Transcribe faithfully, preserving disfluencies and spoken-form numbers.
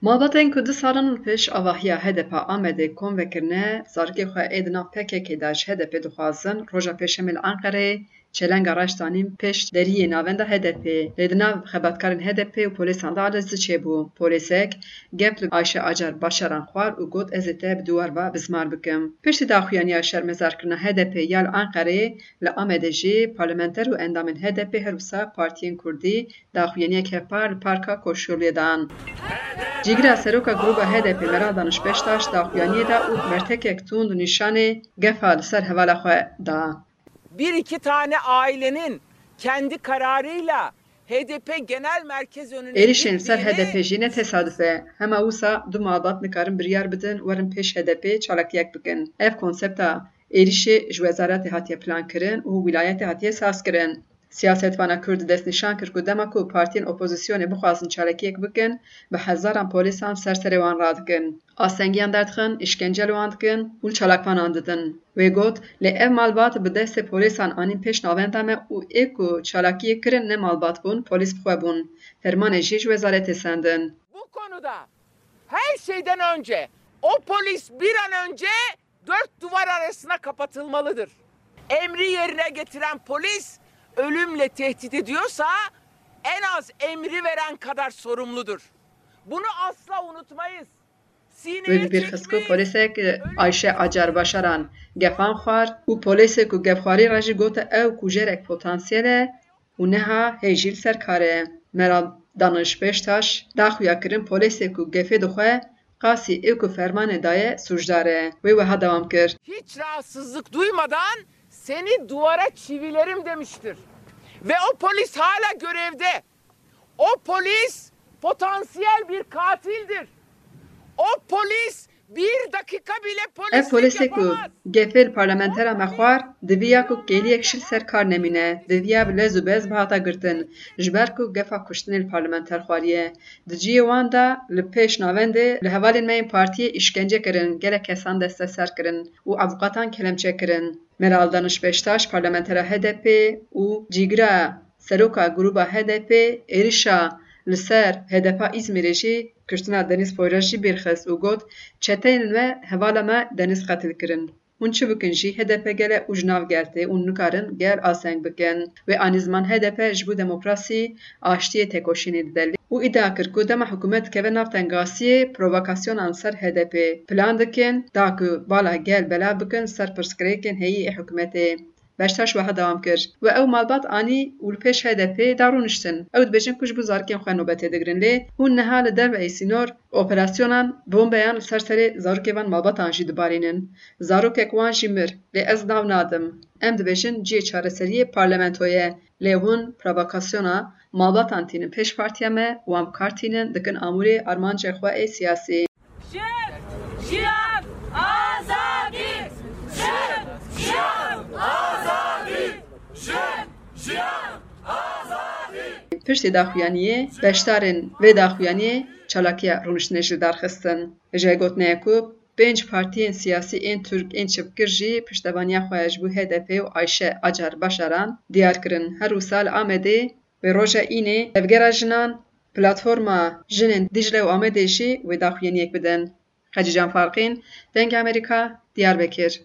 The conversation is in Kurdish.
Malbatên ku du salan li pêş avahiya H D P Amedê kom vekirine, zarokê xwe ê di nav P K K de ji H D P dixwazin, roja Pêşemê li Enqereyê çelenga reş danîn pêş deriyê navenda H D P. Lê di nav xebatkarên H D P û polîsan de alezî çêbû. Polîsek gef li Ayşe Acar Başaran xwar û got, "Ez ê te bi duwar ve bizmar bikim." Piştî daxuyaniya şermezarkirina H D P ya li Enqereyê, li Amedê jî parlamenter û endamên H D P her wisa partiyên kurdî daxuyaniyek hevpar li Parka Koşyoluyê dan. Cîgira seroka grûba H D P Meral Daniş Beştaş daxuyaniyê da û bertekek tund nîşanê gefa li ser hevala xwe da. Bir iki tane ailenin kendi kararıyla H D P Genel Merkez önüne Êrişên li ser gittiğini H D P jî ne tesaduf e. Hema wisa du malbat nikarin biryar bidin werin pêş H D P çalakiyek bikin. Ev konsepta êrişê ji wezaretê hatiye plankirin û wîlayetê hatiye sazkirin. Siyasetvana Kurd destnîşan kir ku dema ku partiyên opozisyonê bixwazin çalakiyek bikin, bi hezaran polîsan ser serê wan radikin. Astengiyan derdixin, îşkence li wan dikin û li çalakvanan didin. Wê got, "Lê ev malbat bi destê polîsan anîn pêş navenda me û ê ku çalakiyê kirin ne malbat bûn, polîs bi xwe bûn. Fermanê jî ji wezaretê sendin." Bu konuda her şeyden önce o polis bir an önce dört duvar arasına kapatılmalıdır. Emri yerine getiren polis ölümle tehdit ediyorsa en az emri veren kadar sorumludur. Bunu asla unutmayız. Wê bi bîr xist ku polîsek Ayşe Acar Başaran gefan xwar û polîsê ku gefxwarî re jî gote ew kujerek potansiyel e û niha hê jî li ser kar e. Meral Daniş Beştaş daxuya kirin polîsê ku gefê dixwe qasî ê ku fermanê daye sûcdar e. Wê wiha dewam kir. Hiç rahatsızlık duymadan seni duvara çivilerim demiştir. Ve o polis hala görevde. O polis potansiyel bir katildir. O polis bir dakika bile Ev polislik polîsê ku yapamaz. Gefê li parlamentera me xwar, diviya ku kêliyek şil ser kar nemîne, diviya bi lez û bez bihata girtin, ji ber ku gefa kuştinê li parlamenter xwariye. Di cihê wan de li pêş navendê li hevalên me yên partiyê îşkence kirin, gelek kesan desteser kirin û avûkatan kelemçe kirin. Meral Daniş Beştaş, parlamentera H D P û cîgira seroka grûba H D P êrişa li ser H D P Îzmîrê jî kuştina Deniz Poyraz jî bîr xist û got, "Çeteyên me hevala me Deniz qetil kirin. Hûn çi bikin jî H D P gel e û ji nav gel tê û nikarin gel asteng bikin." Wê anî ziman H D P ji bo demokrasî, aştiyê tekoşînê dide û îdia kir ku dema hikûmet dikeve nav tengasiyê, provokasyonan ser H D P plan dikin, da ku bala gel belav bikin ser pirsgirêkên heyî ê hikûmetê. Beştaş wiha dewam kir, "We ew malbat anî û li pêş H D P da rûniştin. Ew dibêjin ku ji bo zarokên xwe nobetê digirin, lê hûn niha li derveyî sînor operasyonan, bombeyan li ser serê zarokê van malbatan jî dibarînin. Zarokek wan jî mir, lê ez nav nadim. Em dibêjin cihê çareseriyê parlamento ye, lê hûn provokasyona malbatan tînin pêş partiya me, wan bi kar tînin, dikin amûrê armancê xwe ê siyasî." Jin, jiyan, azadî! Jin, jiyan, azadî! Jin, jiyan, azadî! Piştî daxuyaniyê, beşdarên vê daxuyaniyê çalakiya rûniştinê ji li dar xistin. Ji gotinê ku pênc partiyên siyasî ên Tirk ên çepgir jî piştevaniya xwe ji bo H D P û Ayşe Acar Başaran diyar kirin. Her wisa li Amedê wê roja Înê Tevgera Jinan, Platforma Jinên Dîcle û Amedê jî wê daxuyaniyek bidin. Xecîcan Farqîn, Dengê Amerîka, Diyarbekir.